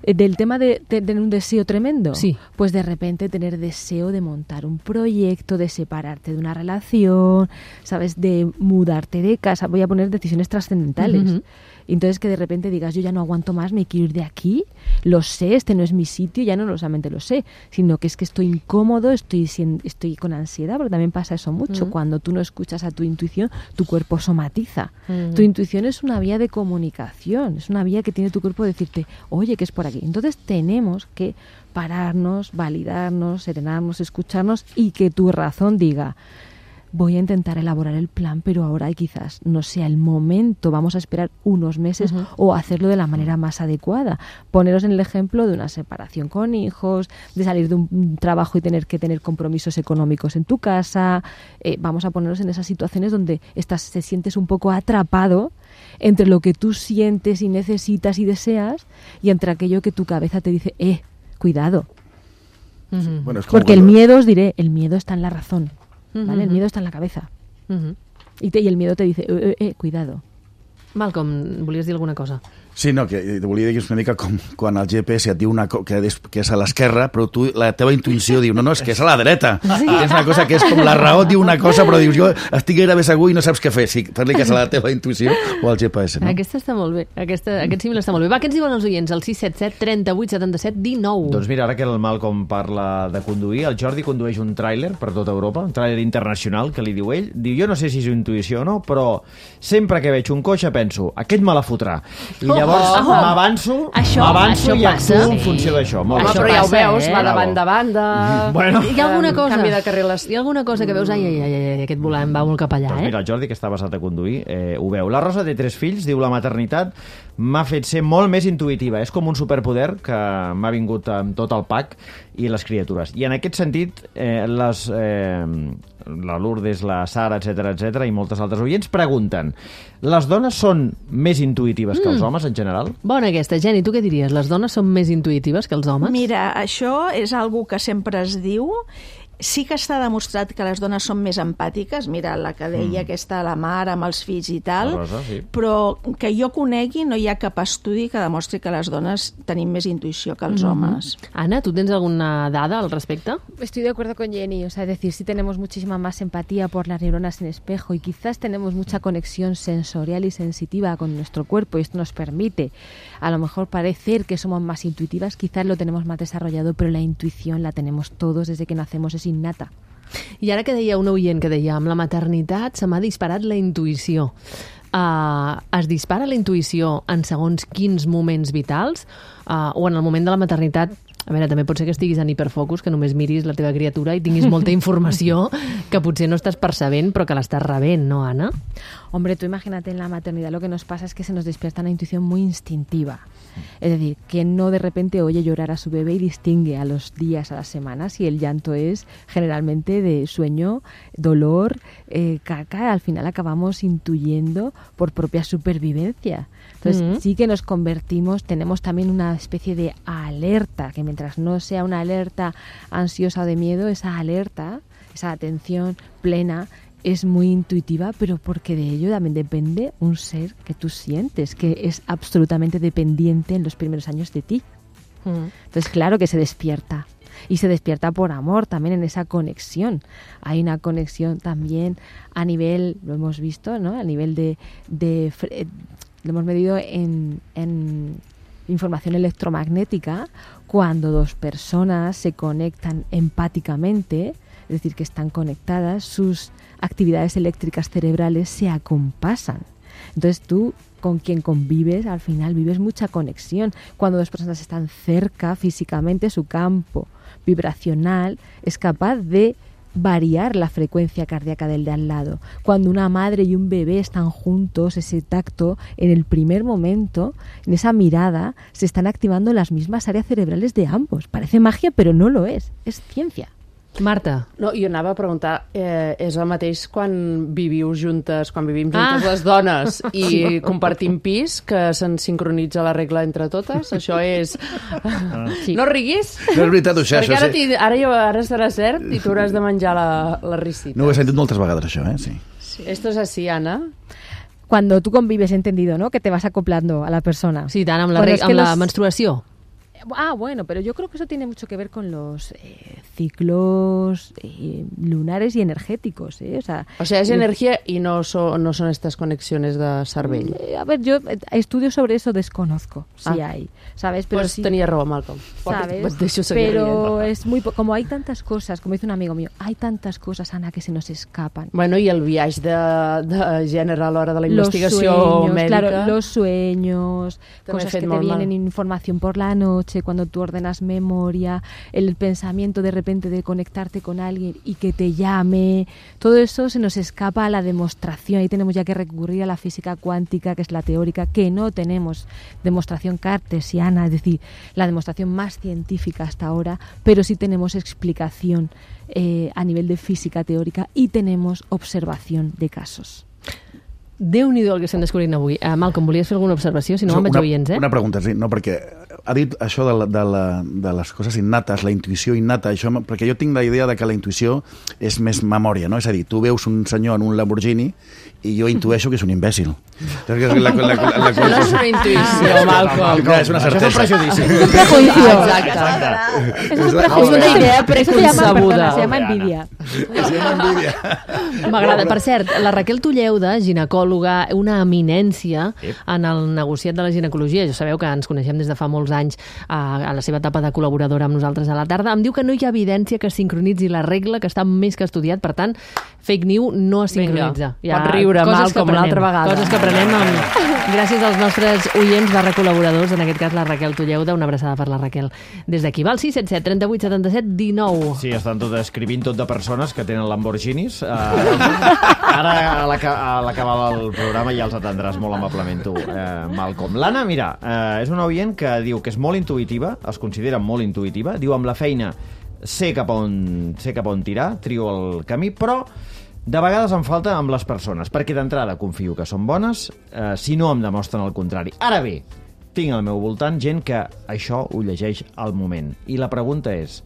Del tema de tener un deseo tremendo, sí. Pues de repente tener deseo de montar un proyecto, de separarte de una relación, ¿sabes? De mudarte de casa. Voy a poner decisiones trascendentales. Uh-huh. Entonces que de repente digas, yo ya no aguanto más, me quiero ir de aquí, lo sé, este no es mi sitio, ya no solamente lo sé, sino que es que estoy incómodo, estoy, estoy con ansiedad, porque también pasa eso mucho. Mm. Cuando tú no escuchas a tu intuición, tu cuerpo somatiza. Mm. Tu intuición es una vía de comunicación, es una vía que tiene tu cuerpo de decirte, oye, que es por aquí. Entonces tenemos que pararnos, validarnos, serenarnos, escucharnos y que tu razón diga, voy a intentar elaborar el plan, pero ahora quizás no sea el momento, vamos a esperar unos meses uh-huh. o hacerlo de la manera más adecuada. Poneros en el ejemplo de una separación con hijos, de salir de un trabajo y tener que tener compromisos económicos en tu casa. Eh, vamos a ponernos en esas situaciones donde estás, te sientes un poco atrapado entre lo que tú sientes y necesitas y deseas y entre aquello que tu cabeza te dice, eh, cuidado. Uh-huh. Bueno, es como porque cuando... el miedo, os diré, el miedo está en la razón. ¿Vale? Uh-huh. El miedo está en la cabeza. Uh-huh. I, te, I el miedo te dice, eh, eh, eh, cuidado. Malcom, volies dir alguna cosa? Sí, no, que volia dir que és una mica com quan el G P S et diu una co que, és, que és a l'esquerra, però tu, la teva intuïció diu, no, no, és que és a la dreta. Sí. I tens una cosa que és com la raó diu una cosa, però dius, jo estic gairebé segur i no saps què fer. Sí, fer-li cas a la teva intuïció o al G P S, no? Aquesta està molt bé. Aquesta, aquest símil està molt bé. Va, què ens diuen els oients? El sis set set, trenta-vuit, setanta-set, dinou. Doncs mira, ara que el Malcom parla de conduir, el Jordi condueix un tràiler per tota Europa, un tràiler internacional, que li diu ell. Diu, jo no sé si és intuïció o no, però sempre que veig un cotxe penso, aquest me la fotrà. I llavors oh, oh. m'avanço, m'avanço i actuo en funció d'això. Home, però ja ho veus, va de banda a banda, bueno. Hi ha alguna cosa, canvi de carriles. Hi ha alguna cosa que veus, ai, ai, ai, ai aquest volant va molt cap allà, doncs eh? Mira, el Jordi, que està basat a conduir, eh, ho veu. La Rosa té tres fills, diu, la maternitat m'ha fet ser molt més intuïtiva. És com un superpoder que m'ha vingut amb tot el pack i les criatures. I en aquest sentit, eh, les... Eh, la Lourdes, la Sara, etcètera, etcètera, i moltes altres oients pregunten, les dones són més intuïtives mm. que els homes en general? Bona aquesta, Jenny, tu què diries? Les dones són més intuïtives que els homes? Mira, això és algo que sempre es diu. Sí que està demostrat que les dones són més empàtiques, mira, la que deia mm. aquesta, la mare amb els fills i tal, Rosa, sí. però que jo conegui no hi ha cap estudi que demostri que les dones tenim més intuïció que els mm. homes. Ana, ¿tú tienes alguna dada al respecto? Estoy de acuerdo con Jenny, o sea, es decir, sí tenemos muchísima más empatía por las neuronas en espejo y quizás tenemos mucha conexión sensorial y sensitiva con nuestro cuerpo y esto nos permite a lo mejor parecer que somos más intuitivas, quizás lo tenemos más desarrollado, pero la intuición la tenemos todos desde que nacemos, es innata. I ara que deia un oient que deia, amb la maternitat se m'ha disparat la intuïció. Uh, es dispara la intuïció en segons quins moments vitals uh, o en el moment de la maternitat? A veure, també pot ser que estiguis en hiperfocus, que només miris la teva criatura i tinguis molta informació que potser no estàs percebent, però que l'estàs rebent, ¿no, Ana? Hombre, tú imagínate en la maternidad, lo que nos pasa es que se nos despierta una intuición muy instintiva. Es decir, que no de repente oye llorar a su bebé y distingue a los días, a las semanas, y el llanto es generalmente de sueño, dolor, eh, caca, al final acabamos intuyendo por propia supervivencia. Entonces mm-hmm. sí que nos convertimos, tenemos también una especie de alerta, que mientras no sea una alerta ansiosa o de miedo, esa alerta, esa atención plena, es muy intuitiva, pero porque de ello también depende un ser que tú sientes, que es absolutamente dependiente en los primeros años de ti. Mm. Entonces, claro que se despierta. Y se despierta por amor también en esa conexión. Hay una conexión también a nivel, lo hemos visto, ¿no? A nivel de... de lo hemos medido en, en información electromagnética, cuando dos personas se conectan empáticamente, es decir, que están conectadas, sus actividades eléctricas cerebrales se acompasan. Entonces tú, con quien convives, al final vives mucha conexión. Cuando dos personas están cerca físicamente, su campo vibracional es capaz de variar la frecuencia cardíaca del de al lado. Cuando una madre y un bebé están juntos, ese tacto, en el primer momento, en esa mirada, se están activando las mismas áreas cerebrales de ambos. Parece magia, pero no lo es. Es ciencia. Marta. No, jo anava a preguntar, eh, és el mateix quan viviu juntes, quan vivim juntes ah. les dones i sí. compartim pis, que se'n sincronitza la regla entre totes? Això és... Ah. Sí. No riguis? No és veritat, això. Perquè això, ara, sí. ara, jo, ara serà cert i tu hauràs de menjar la, la risita. No ho he sentit moltes vegades, això, eh? Sí. Sí. Esto es así, Ana. Cuando tú convives, he entendido, ¿no? Que te vas acoplando a la persona. Sí, tant, amb la, reg- amb la los... menstruació. Ah, bueno, pero yo creo que eso tiene mucho que ver con los eh, ciclos eh, lunares y energéticos, ¿eh? O sea, o sea, es eh, energía y no, so, no son estas conexiones de cervell. Eh, a ver, yo eh, estudios sobre eso desconozco, si ah. hay, ¿sabes? Pero pues sí, tenía raó, Malcolm. ¿Sabes? Pues pero es muy... Como hay tantas cosas, como dice un amigo mío, hay tantas cosas, Ana, que se nos escapan. Bueno, y el viaje de, de gènere a l'hora de la investigació los sueños, médica. Claro, los sueños, També cosas que te vienen, mal. Información por la noche, cuando tú ordenas memoria, el pensamiento de repente de conectarte con alguien y que te llame, todo eso se nos escapa a la demostración. Ahí tenemos ya que recurrir a la física cuántica, que es la teórica, que no tenemos demostración cartesiana, es decir, la demostración más científica hasta ahora, pero sí tenemos explicación eh, a nivel de física teórica y tenemos observación de casos. Déu-n'hi-do el que estem descobrint avui. Uh, Malcolm, volies fer alguna observació? Si no, me'n vaig oients, eh? Una pregunta, sí. No, perquè ha dit això de, la, de, la, de les coses innates, la intuïció innata, això, perquè jo tinc la idea de que la intuïció és més memòria, no? És a dir, tu veus un senyor en un Lamborghini i jo intueixo que és un imbècil. La, la, la, la, la, Això no és una intuïció, Malcolm. És una certesa. És un prejudici. És un prejuicio. Exacte. És un prejuicio. És una idea preconcebuda. Se llama envidia. Se llama envidia. M'agrada. Per cert, la Raquel Tulleuda, ginecòloga, una eminència en el negociat de la ginecologia. Ja sabeu que ens coneixem des de fa molts anys a, a la seva etapa de col·laboradora amb nosaltres a la tarda. Em diu que no hi ha evidència que sincronitzi la regla, que està més que estudiat. Per tant, fake news no es sincronitza. Pot riure mal com l'altra vegada. Coses que aprenem amb... gràcies als nostres oients barra col·laboradors, en aquest cas la Raquel Tulleuda. Una abraçada per la Raquel des d'aquí. Va al sis set set, trenta-vuit, setanta-set, dinou. Sí, estan tot escrivint tot de persones que tenen Lamborghinis. Uh, ara, a l'acabar el programa, ja els atendràs molt amablement tu, uh, Malcolm. L'Anna, mira, uh, és una oient que diu que és molt intuïtiva, es considera molt intuïtiva, diu amb la feina sé cap on, sé cap on tirar, trio el camí, però de vegades em falta amb les persones, perquè d'entrada confio que són bones, eh, si no em demostren el contrari. Ara bé, tinc al meu voltant gent que això ho llegeix al moment. I la pregunta és,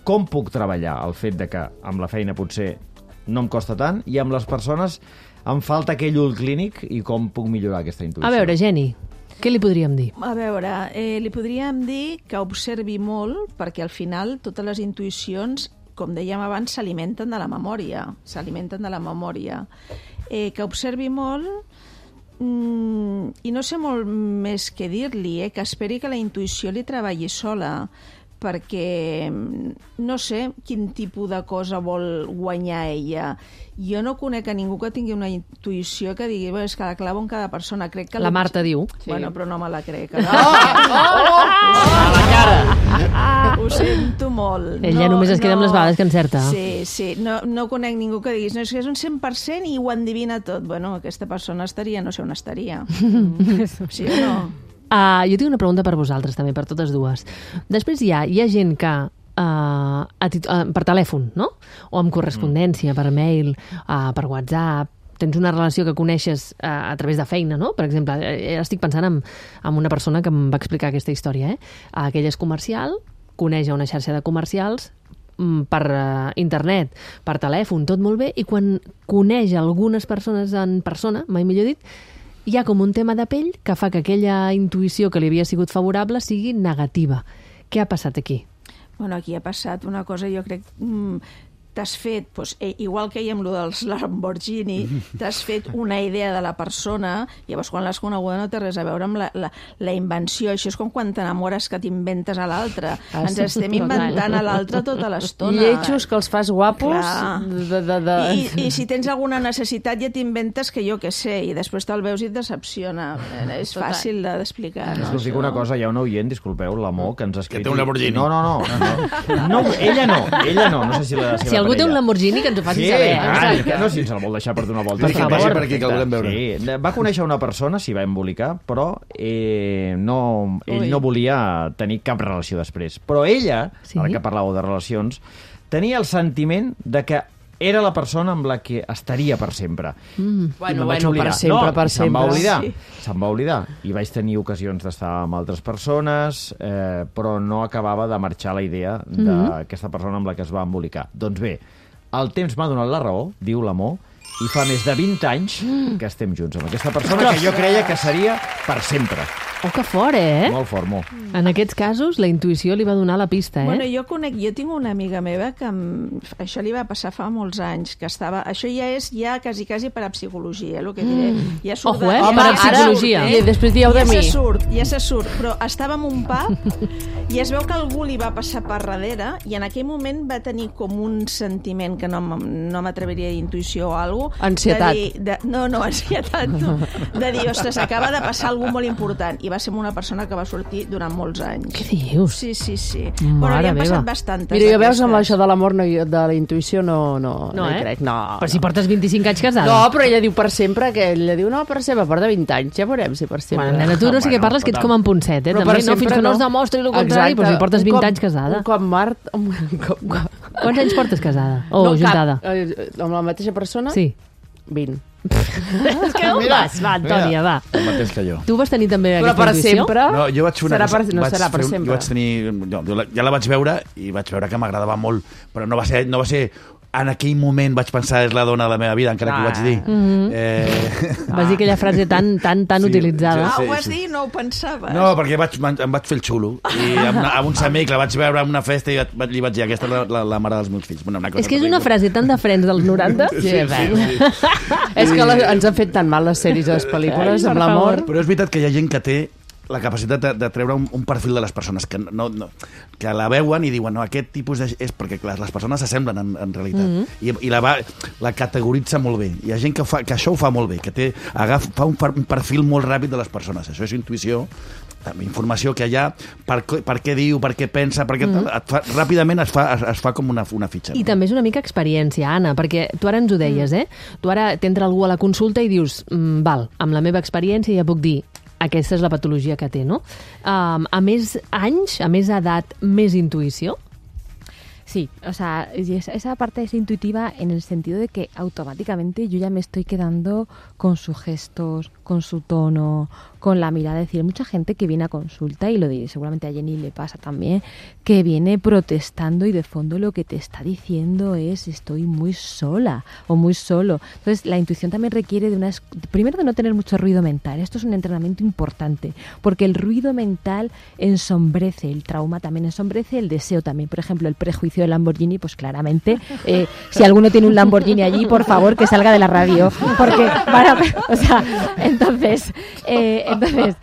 com puc treballar el fet de que amb la feina potser no em costa tant i amb les persones em falta aquell ull clínic i com puc millorar aquesta intuïció? A veure, Jenny, què li podríem dir? A veure, eh, li podríem dir que observi molt, perquè al final totes les intuïcions, com dèiem abans, s'alimenten de la memòria. S'alimenten de la memòria. Eh, que observi molt mm, i no sé molt més què dir-li, eh, que esperi que la intuïció li treballi sola, perquè no sé quin tipus de cosa vol guanyar ella. Jo no conec a ningú que tingui una intuïció que digui, és que la clavo en cada persona. Crec que la Marta diu. Bueno, però no me la crec. No? Oh! Oh! A la cara! Ho sento molt. Ella no, només es queda no. amb les vegades que encerta. Sí, sí. No, no conec ningú que diguis, no, és que és un cent per cent i ho endivina tot. Bueno, aquesta persona estaria, no sé on estaria. Sí o no? Uh, jo tinc una pregunta per vosaltres, també, per totes dues. Després hi ha, hi ha gent que uh, a tit- uh, per telèfon, no? O amb correspondència, per mail, uh, per WhatsApp, tens una relació que coneixes uh, a través de feina, no? Per exemple, eh, estic pensant en, en una persona que em va explicar aquesta història, eh? Uh, que ella és comercial, coneix una xarxa de comercials, per uh, internet, per telèfon, tot molt bé, i quan coneix algunes persones en persona, mai millor dit, hi ha com un tema de pell que fa que aquella intuïció que li havia sigut favorable sigui negativa. Què ha passat aquí? Bueno, aquí ha passat una cosa, jo crec... Mm, t'has fet, doncs, eh, igual que hi amb lo dels Lamborghini, t'has fet una idea de la persona, llavors quan l'has coneguda no té res a veure amb la, la, la invenció. Això és com quan t'enamores que t'inventes a l'altre. Ah, Ens sí, estem total. inventant a l'altre tota l'estona. Lletjos que els fas guapos. De, de, de... I, I si tens alguna necessitat ja t'inventes que jo què sé, i després te'l veus i et decepciona. És Total. fàcil d'explicar. És No? que us dic una cosa, hi ha un oient, disculpeu, l'amor, que ens ha escrit... Que té un Lamborghini. No, no, no. no. no ella no, ella no. No sé si la seva Si algú té un Lamborghini, que ens ho faci sí, saber. ah, que no, si ens el vol deixar per donar volta. Sí, que vagi per aquí, que el volem veure. Sí. Va conèixer una persona, s'hi va embolicar, però eh, no, ell Ui. no volia tenir cap relació després. Però ella, Sí? ara que parlàveu de relacions, tenia el sentiment de que era la persona amb la que estaria per sempre. Mm. I Bueno, me'n vaig bueno, oblidar. per sempre, no, per se'm va sempre. oblidar. Sí. Se'm va oblidar. I vaig tenir ocasions d'estar amb altres persones, eh, però no acabava de marxar la idea d'aquesta persona amb la que es va embolicar. Doncs bé, el temps m'ha donat la raó, diu l'amor, i fa més de vint anys que estem junts amb aquesta persona que jo creia que seria per sempre. Oh, que fort, eh? Molt fort, molt. En aquests casos, la intuïció li va donar la pista, eh? Bueno, jo conec, jo tinc una amiga meva que em, això li va passar fa molts anys, que estava... Això ja és ja quasi, quasi per a psicologia, el que diré. Ja surt Ojo, eh? de- Home, ja- psicologia. ara surt, I després dieu de ja mi. se surt, ja se surt, però estava en un pub i es veu que algú li va passar per darrere i en aquell moment va tenir com un sentiment que no, m- no m'atreviria a dir intuïció o alguna cosa. Ansietat. De dir, de, no, no, ansietat no. De dir, ostres, acaba de passar alguna molt important. I va ser amb una persona que va sortir durant molts anys. Què dius? Sí, sí, sí. Mare Bueno, ja han meva. passat bastantes. Mira, jo veus amb d'aquestes. això de l'amor, no, jo- de la intuïció, no, no, No, no hi eh? crec. No, Però si no. portes vint-i-cinc anys casada. No, però ella diu per sempre, que ella diu, no, per sempre, porta vint anys, ja veurem si per sempre. Bueno, nena, tu no sé Bueno, què parles, que ets total. com en Ponset, eh? Però També, per no, fins sempre que no no. es demostri el contrari, Exacte. però si portes Un vint cop- anys casada. Un cop mort... Un cop, Quants anys portes casada? O no, juntada? Cap, eh, amb la mateixa persona? Sí. vint. És que on vas? Va, Antònia, va. El mateix que jo. Tu vas tenir també Però aquesta per intuïció? sempre? No, jo vaig fer una serà cosa... per, no vaig serà per fer un- sempre. Jo vaig tenir... Jo, jo la, ja la vaig veure i vaig veure que m'agradava molt, però no va ser, no va ser en aquell moment vaig pensar és la dona de la meva vida, encara que ho vaig dir. Mm-hmm. Eh... Vas dir aquella frase tan, tan, tan Sí, utilitzada. Ah, sí, ho vas sí. dir? No ho pensaves? No, perquè vaig, em vaig fer el xulo. I amb, amb uns amics la vaig veure en una festa i li vaig dir, aquesta és la, la, la mare dels meus fills. Bueno, una cosa És que és una frase tan de Friends dels noranta. Sí, sí, sí. És que la, ens han fet tan mal les sèries i les pel·lícules amb l'amor. Però és veritat que hi ha gent que té la capacitat de, de treure un, un perfil de les persones que, no, no, que la veuen i diuen no, aquest tipus de... és perquè clar, les persones s'assemblen en, en realitat Mm-hmm. I, i la, va, la categoritza molt bé. Hi ha gent que, fa, que això ho fa molt bé, que té, agafa, fa un, un perfil molt ràpid de les persones. Això és intuïció, informació que allà, per, per què diu, per què pensa, perquè Mm. et fa, ràpidament es fa, es, es fa com una, una fitxa. I també és una mica experiència, Anna, perquè tu ara ens ho deies, eh? Tu ara t'entra algú a la consulta i dius, mm, val, amb la meva experiència ja puc dir aquesta és la patologia que té, no? Um, a més anys, a més edat, més intuïció? Sí, o sea, esa, esa parte es intuitiva en el sentido de que automáticamente yo ya me estoy quedando con sus gestos, con su tono, con la mirada. Es decir, hay mucha gente que viene a consulta, y lo diré, seguramente a Jenny le pasa también, que viene protestando y de fondo lo que te está diciendo es estoy muy sola o muy solo. Entonces, la intuición también requiere de una... Primero, de no tener mucho ruido mental. Esto es un entrenamiento importante, porque el ruido mental ensombrece, el trauma también ensombrece, el deseo también. Por ejemplo, el prejuicio del Lamborghini, pues claramente, eh, si alguno tiene un Lamborghini allí, por favor, que salga de la radio, porque van a... O sea, entonces, eh, entonces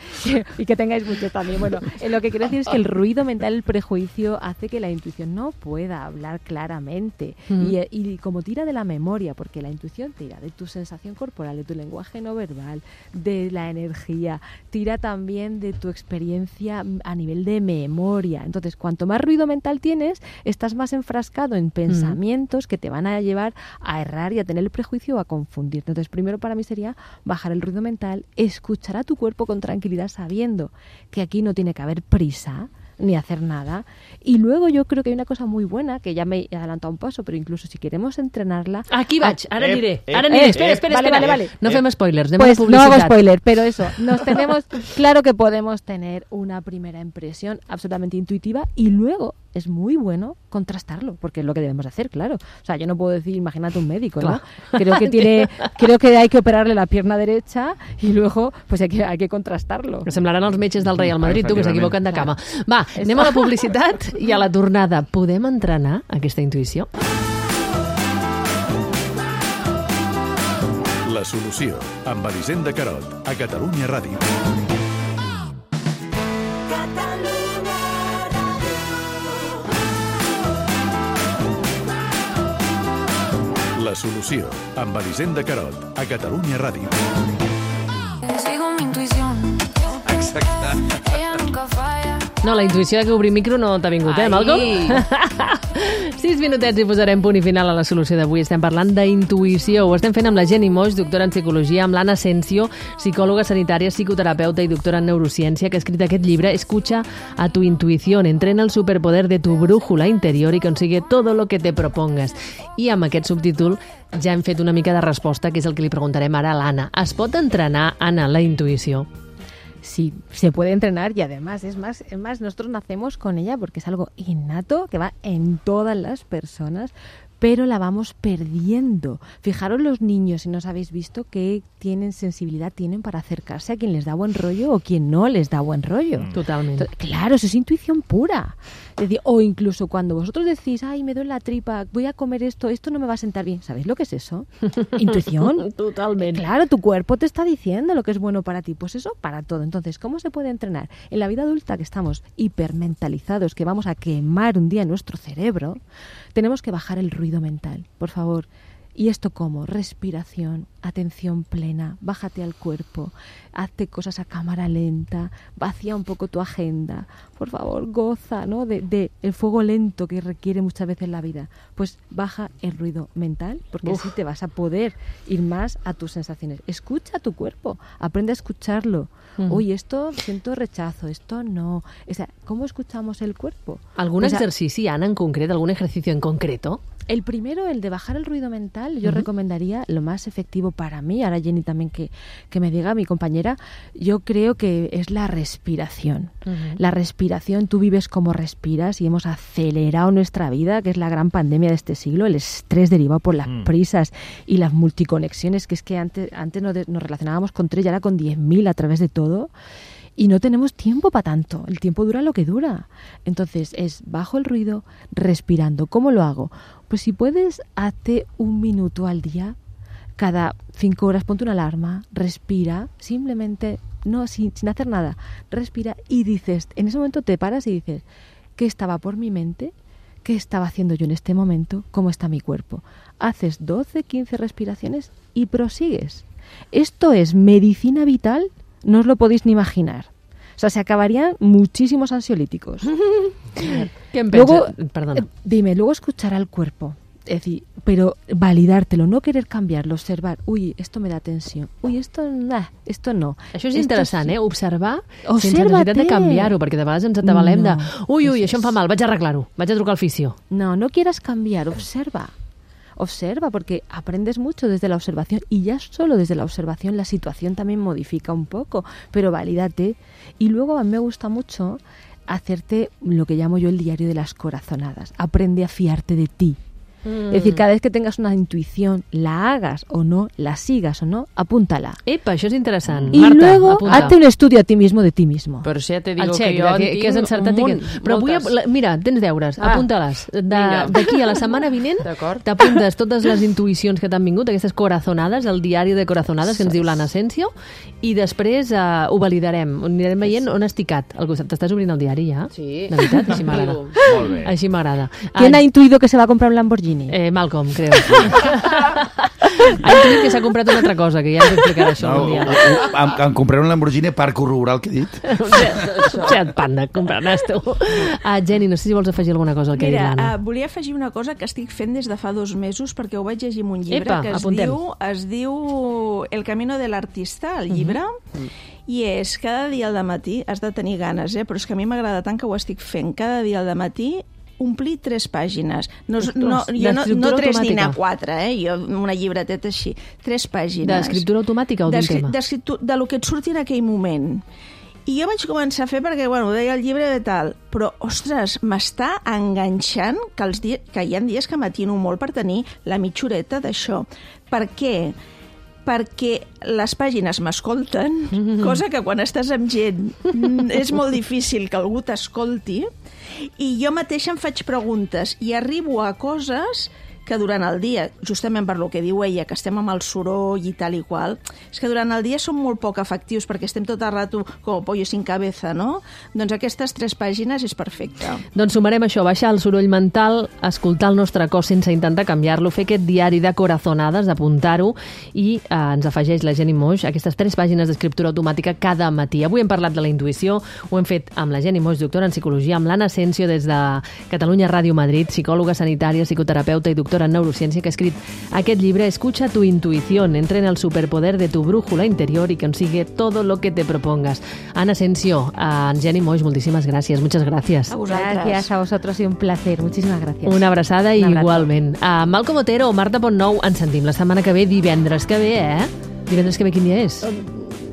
y que tengáis mucho también. Bueno, eh, lo que quiero decir es que el ruido mental, el prejuicio, hace que la intuición no pueda hablar claramente. Mm. Y, y como tira de la memoria, porque la intuición tira de tu sensación corporal, de tu lenguaje no verbal, de la energía, tira también de tu experiencia a nivel de memoria. Entonces, cuanto más ruido mental tienes, estás más enfrascado en pensamientos que te van a llevar a errar y a tener el prejuicio o a confundirte. Entonces, primero para mí sería bajar el ruido mental, escuchar a tu cuerpo con tranquilidad, sabiendo que aquí no tiene que haber prisa ni hacer nada. Y luego yo creo que hay una cosa muy buena, que ya me he adelantado un paso, pero incluso si queremos entrenarla... Aquí vaig, ara Eh, diré. eh, Ara diré, eh, espera, eh, espera, vale, espera. vale, vale. No Eh, fem spoilers, anem pues a no publicitat. hago spoiler, pero eso, nos tenemos, claro que podemos tener una primera impresión absolutamente intuitiva y luego es muy bueno contrastarlo, porque es lo que debemos hacer, claro. O sea, yo no puedo decir, imagínate un médico, ¿no? Claro. Creo que tiene, creo que hay que operarle la pierna derecha y luego pues hay que, hay que contrastarlo. Que semblaran els metges del Real Madrid, tu, que s'equivoquen de cama. Va, anem a la publicitat i a la tornada. Podem entrenar aquesta intuïció? La solució, amb Elisenda Carot, a Catalunya Ràdio. La solució, amb Elisenda Carot, a Catalunya Ràdio. Sigo mi intuición. Exacte. Ella nunca falla. No, la intuïció de que obrir micro no t'ha vingut, eh, Malcolm? Sis minutets i posarem punt i final a la solució d'avui. Estem parlant d'intuïció. Ho estem fent amb la Jenny Moix, doctora en psicologia, amb l'Anna Asensio, psicòloga sanitària, psicoterapeuta i doctora en neurociència, que ha escrit aquest llibre Escucha a tu intuición, entrena el superpoder de tu brújula interior y consigue todo lo que te propongas. I amb aquest subtítol ja hem fet una mica de resposta, que és el que li preguntarem ara a l'Anna. Es pot entrenar, Anna, la intuïció? Sí, se puede entrenar y además es más, es más, nosotros nacemos con ella porque es algo innato que va en todas las personas, pero la vamos perdiendo. Fijaros los niños, si no os habéis visto, qué tienen sensibilidad tienen para acercarse a quien les da buen rollo o quien no les da buen rollo. Totalmente. Entonces, claro, eso es intuición pura. Es decir, o incluso cuando vosotros decís, ay, me duele la tripa, voy a comer esto, esto no me va a sentar bien. ¿Sabéis lo que es eso? Intuición. Totalmente. Claro, tu cuerpo te está diciendo lo que es bueno para ti. Pues eso para todo. Entonces, ¿cómo se puede entrenar? En la vida adulta, que estamos hipermentalizados, que vamos a quemar un día nuestro cerebro, tenemos que bajar el ruido mental, por favor. ¿Y esto cómo? Respiración, atención plena, bájate al cuerpo, hazte cosas a cámara lenta, vacía un poco tu agenda, por favor, goza, ¿no? de, de el fuego lento que requiere muchas veces la vida. Pues baja el ruido mental, porque Uf. así te vas a poder ir más a tus sensaciones. Escucha a tu cuerpo, aprende a escucharlo. Ujú. Uy, esto siento rechazo, esto no. O sea, ¿cómo escuchamos el cuerpo? ¿Algún Pues a- exercici, Anna, en concret? ¿Algún ejercicio en concreto? El primero, el de bajar el ruido mental, yo uh-huh. recomendaría lo más efectivo para mí, ahora Jenny también que, que me diga, mi compañera, yo creo que es la respiración. Uh-huh. La respiración, tú vives como respiras y hemos acelerado nuestra vida, que es la gran pandemia de este siglo, el estrés derivado por las uh-huh. prisas y las multiconexiones, que es que antes, antes nos, de, nos relacionábamos con tres y ahora con diez mil a través de todo. Y no tenemos tiempo para tanto. El tiempo dura lo que dura. Entonces, es bajo el ruido, respirando. ¿Cómo lo hago? Pues si puedes, hazte un minuto al día. Cada cinco horas ponte una alarma, respira, simplemente, no sin, sin hacer nada. Respira y dices, en ese momento te paras y dices, ¿qué estaba por mi mente? ¿Qué estaba haciendo yo en este momento? ¿Cómo está mi cuerpo? Haces doce, quince respiraciones y prosigues. Esto es medicina vital. No os lo podéis ni imaginar. O sea, se acabarían muchísimos ansiolíticos. ¿Qué me luego, Perdona. Eh, dime, luego escuchar al cuerpo. Es decir, pero validártelo, no querer cambiarlo, observar. Uy, esto me da tensió. Uy, esto, nah, esto no. Això és esto interessant, sí. eh? Observar Observa-te. sense necessitat de canviar-ho, perquè de vegades ens atabalem No. de ui, ui, això em fa mal, vaig a arreglar-ho, vaig a trucar al fisio. No, no quieras cambiar, observa. Observa, porque aprendes mucho desde la observación y ya solo desde la observación la situación también modifica un poco, pero valídate. Y luego a mí me gusta mucho hacerte lo que llamo yo el diario de las corazonadas. Aprende a fiarte de ti. Mm. Es decir, cada vez que tengas una intuición, la hagas o no, la sigas o no, apúntala. Epa, això és interessant. Y Marta, luego apunta. hazte un estudio a ti mismo de ti mismo. Però si ja te digo El xec, que jo en que, tinc que has encertat un i que... munt, Però vull, moltes. la- mira, tens deures, Ah, apunta-les. vinga. De- D'aquí a la setmana vinent t'apuntes totes les intuïcions que t'han vingut, aquestes corazonades, el diari de corazonades que ens diu l'Anna Asensio, i després uh, ho validarem, anirem veient on has ticat. Al costat. T'estàs obrint el diari ja? Sí. De veritat? Així m'agrada. Molt bé. Així m'agrada. ¿Quién Ah, ha intuido que se va a comprar un Lamborghini? Eh, Malcolm, creo. Ha intuït que s'ha comprat una altra cosa, que ja ens explicarà això No, un dia. em, em compraré un Lamborghini per corroborar el que he dit. Seat Panda, compraràs tu. Uh, Jenny, no sé si vols afegir alguna cosa al que ha dit Mira, l'Anna. uh, volia afegir una cosa que estic fent des de fa dos mesos perquè ho vaig llegir en un llibre Epa, que es apuntem. diu, es diu El camino del artista, el llibre, i és cada dia al dematí, has de tenir ganes, eh? Però és que a mi m'agrada tant que ho estic fent. Cada dia al dematí omplir tres pàgines. No, Ostres, no, jo no, d'escriptura no tres ni automàtica. anar quatre, eh? Jo una llibreteta així. Tres pàgines. D'escriptura automàtica o d'un D'escri- tema? d'escriptu- De lo que et surti en aquell moment. I jo vaig començar a fer perquè, bueno, ho deia el llibre de tal, però, ostres, m'està enganxant que, els dies, que hi ha dies que m'atino molt per tenir la mitja horeta d'això. Per què? Perquè les pàgines m'escolten, mm-hmm. cosa que quan estàs amb gent mm, és molt difícil que algú t'escolti, i jo mateixa em faig preguntes i arribo a coses que durant el dia, justament per lo que diu ella, que estem amb el soroll i tal i qual, és que durant el dia són molt poc efectius perquè estem tot el rato com pollo sin cabeza, no? Doncs aquestes tres pàgines és perfecte. Doncs sumarem això, baixar el soroll mental, escoltar el nostre cos sense intentar canviar-lo, fer aquest diari de corazonades, apuntar-ho, i eh, ens afegeix la Jenny Moix aquestes tres pàgines d'escriptura automàtica cada matí. Avui hem parlat de la intuïció, ho hem fet amb la Jenny Moix, doctora en psicologia, amb l'Anna Asensio des de Catalunya Ràdio Madrid, psicòloga sanitària, psicoterapeuta i doctora en neurociència, que ha escrit aquest llibre Escucha tu intuición, entrena el superpoder de tu brújula interior y consigue todo lo que te propongas. Ana Asensio, a Jenny Moix, moltíssimes gràcies, muchas gracias. A vosaltres. Gracias a vosotros, ha sido un placer. Muchísimas gracias. Una abraçada i Un abrazo. igualment. A Malcom Otero, Marta Pontnou, ens sentim la setmana que ve, divendres que ve, eh? Divendres que ve quin dia és?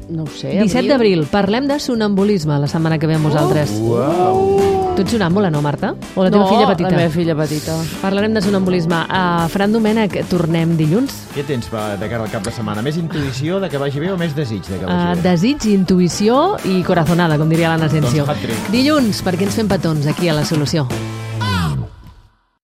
No ho sé, disset d'abril. Parlem de sonambulisme la setmana que ve amb vosaltres. Uau! Tu ets sonàmbula, no, Marta? O la teva No, filla petita? la meva filla petita. Parlarem de sonambulisme. A Fran Domènech, tornem dilluns. Què tens per- de cara al cap de setmana? Més intuïció de que vagi bé o més desig de que Uh, vagi bé? desig, intuïció i corazonada, com diria l'Anna Asensio. Doncs hat-trick. Dilluns, perquè ens fem petons aquí a La Solució.